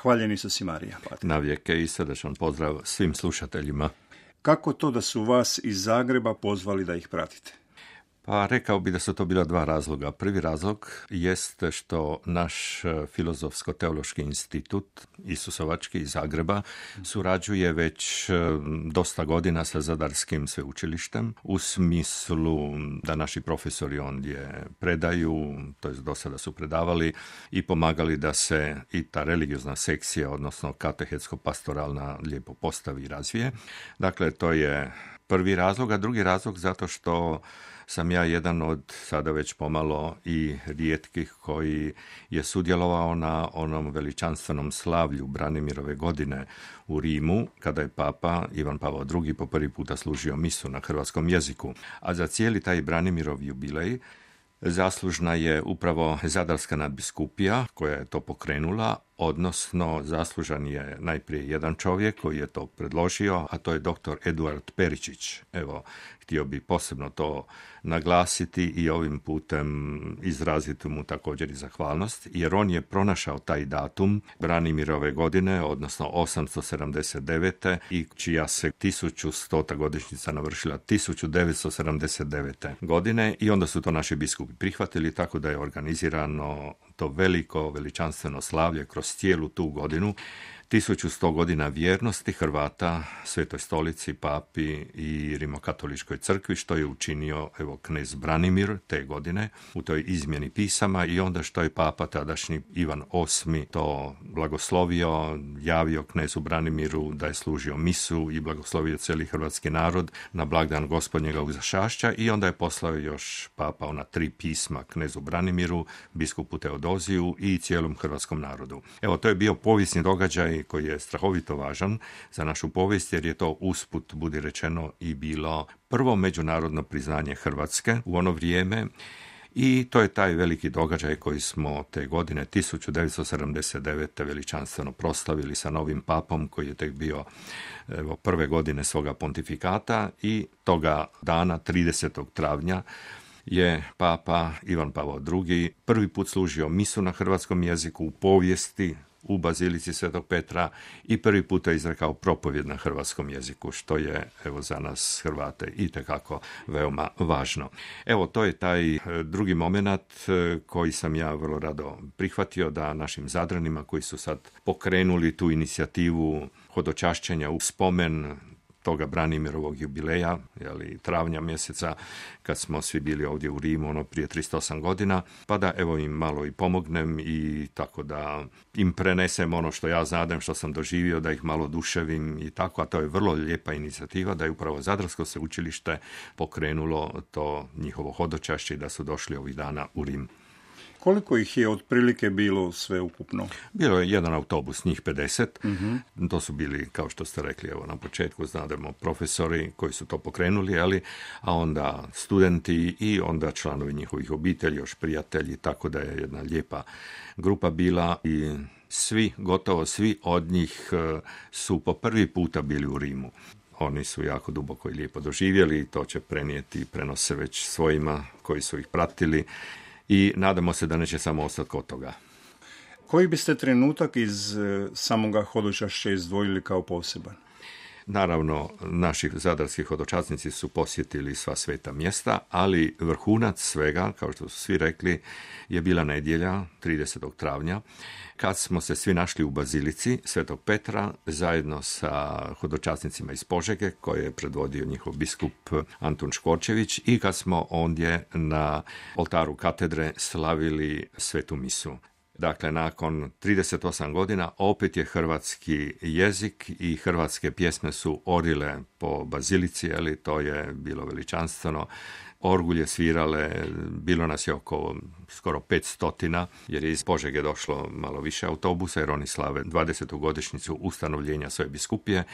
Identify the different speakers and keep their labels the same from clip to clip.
Speaker 1: Hvaljeni su si Marija.
Speaker 2: Na vijeke i srdečan pozdrav svim slušateljima.
Speaker 1: Kako to da su vas iz Zagreba pozvali da ih pratite?
Speaker 2: Pa rekao bi da su to bila dva razloga. Prvi razlog jest što naš Filozofsko-teološki institut Isusovački iz Zagreba surađuje već dosta godina sa Zadarskim sveučilištem u smislu da naši profesori ondje predaju, to jest do sada su predavali i pomagali da se i ta religiozna sekcija, odnosno katehetsko-pastoralna lijepo postavi i razvije. Dakle, to je prvi razlog, a drugi razlog zato što sam ja jedan od sada već pomalo i rijetkih koji je sudjelovao na onom veličanstvenom slavlju Branimirove godine u Rimu, kada je papa Ivan Pavao II po prvi puta služio misu na hrvatskom jeziku. A za cijeli taj Branimirov jubilej zaslužna je upravo Zadarska nadbiskupija koja je to pokrenula, odnosno zaslužan je najprije jedan čovjek koji je to predložio, a to je dr. Eduard Peričić. Evo, htio bi posebno to naglasiti i ovim putem izraziti mu također i zahvalnost, jer on je pronašao taj datum Branimirove godine, odnosno 879. i čija se 1100. godišnjica navršila 1979. godine i onda su to naši biskupi prihvatili, tako da je organizirano to veliko, veličanstveno slavlje kroz cijelu tu godinu. 1100 godina vjernosti Hrvata Svetoj stolici, papi i Rimokatoličkoj crkvi, što je učinio knez Branimir te godine u toj izmjeni pisama i onda što je papa tadašnji Ivan VIII to blagoslovio, javio knezu Branimiru da je služio misu i blagoslovio cijeli hrvatski narod na blagdan Gospodnjega Uzašašća i onda je poslao još papa ona 3 pisma knezu Branimiru, biskupu Teodoziju i cijelom hrvatskom narodu. Evo, to je bio povijesni događaj koji je strahovito važan za našu povijest, jer je to usput, budi rečeno, i bilo prvo međunarodno priznanje Hrvatske u ono vrijeme. I to je taj veliki događaj koji smo te godine 1979. veličanstveno proslavili sa novim papom koji je tek bio prve godine svoga pontifikata i toga dana 30. travnja je papa Ivan Pavao II prvi put služio misu na hrvatskom jeziku u povijesti u Bazilici Svetog Petra i prvi puta izrekao propovjed na hrvatskom jeziku, što je za nas Hrvate itekako veoma važno. Evo, to je taj drugi moment koji sam ja vrlo rado prihvatio, da našim Zadranima koji su sad pokrenuli tu inicijativu hodočašćenja u spomen toga Branimirovog jubileja, travnja mjeseca, kad smo svi bili ovdje u Rimu, prije 308 godina, pa da im malo i pomognem i tako da im prenesem ono što ja znadem, što sam doživio, da ih malo duševim i tako, a to je vrlo lijepa inicijativa, da je upravo Zadarsko sveučilište pokrenulo to njihovo hodočašće i da su došli ovih dana u Rim.
Speaker 1: Koliko ih je otprilike bilo sve ukupno?
Speaker 2: Bilo je jedan autobus, njih 50. Mm-hmm. To su bili, kao što ste rekli, na početku znademo profesori koji su to pokrenuli, a onda studenti i onda članovi njihovih obitelji, još prijatelji, tako da je jedna lijepa grupa bila i gotovo svi od njih su po prvi puta bili u Rimu. Oni su jako duboko i lijepo doživjeli i to će prenijeti i prenose već svojima koji su ih pratili. I nadamo se da neće samo ostati kod toga.
Speaker 1: Koji biste trenutak iz samoga hodočašća izdvojili kao poseban?
Speaker 2: Naravno, naši zadarski hodočasnici su posjetili sva sveta mjesta, ali vrhunac svega, kao što su svi rekli, je bila nedjelja 30. travnja, kad smo se svi našli u Bazilici Svetog Petra zajedno sa hodočasnicima iz Požege, koje je predvodio njihov biskup Antun Škorčević, i kad smo ondje na oltaru katedre slavili svetu misu. Dakle, nakon 38 godina opet je hrvatski jezik i hrvatske pjesme su orile po Bazilici, to je bilo veličanstveno. Orgulje svirale, bilo nas je oko skoro 500, jer je iz Požege došlo malo više autobusa, jer oni slave 20. godišnjicu ustanovljenja svoje biskupije,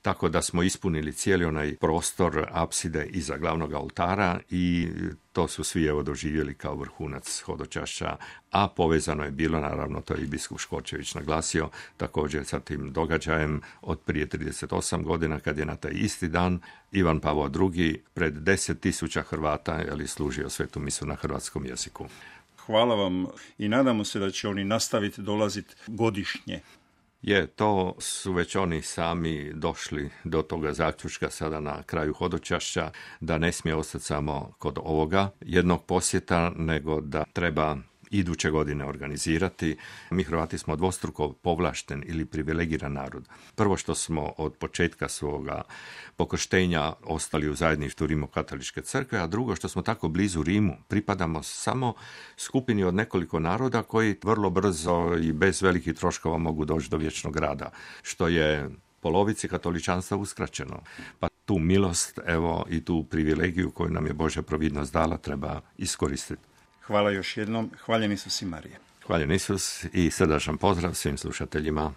Speaker 2: tako da smo ispunili cijeli onaj prostor apside iza glavnog oltara i to su svi doživjeli kao vrhunac hodočašća, a povezano je bilo, naravno, to je i biskup Škorčević naglasio, također sa tim događajem od prije 38 godina, kad je na taj isti dan Ivan Pavao II pred 10.000 Hrvata služio svetu misu na hrvatskom jeziku.
Speaker 1: Hvala vam i nadamo se da će oni nastaviti dolaziti godišnje.
Speaker 2: To su već oni sami došli do toga zaključka sada na kraju hodočašća, da ne smije ostati samo kod ovoga jednog posjeta, nego da treba iduće godine organizirati. Mi Hrvati smo dvostruko povlašten ili privilegiran narod. Prvo što smo od početka svoga pokrštenja ostali u zajedništvu Rimokatoličke crkve, a drugo što smo tako blizu Rimu. Pripadamo samo skupini od nekoliko naroda koji vrlo brzo i bez velikih troškova mogu doći do vječnog rada, što je polovici katoličanstva uskraćeno. Pa tu milost, evo, i tu privilegiju koju nam je Božja providnost dala treba iskoristiti.
Speaker 1: Hvala još jednom. Hvaljen Isus i Marija.
Speaker 2: Hvaljen Isus i srdačan pozdrav svim slušateljima.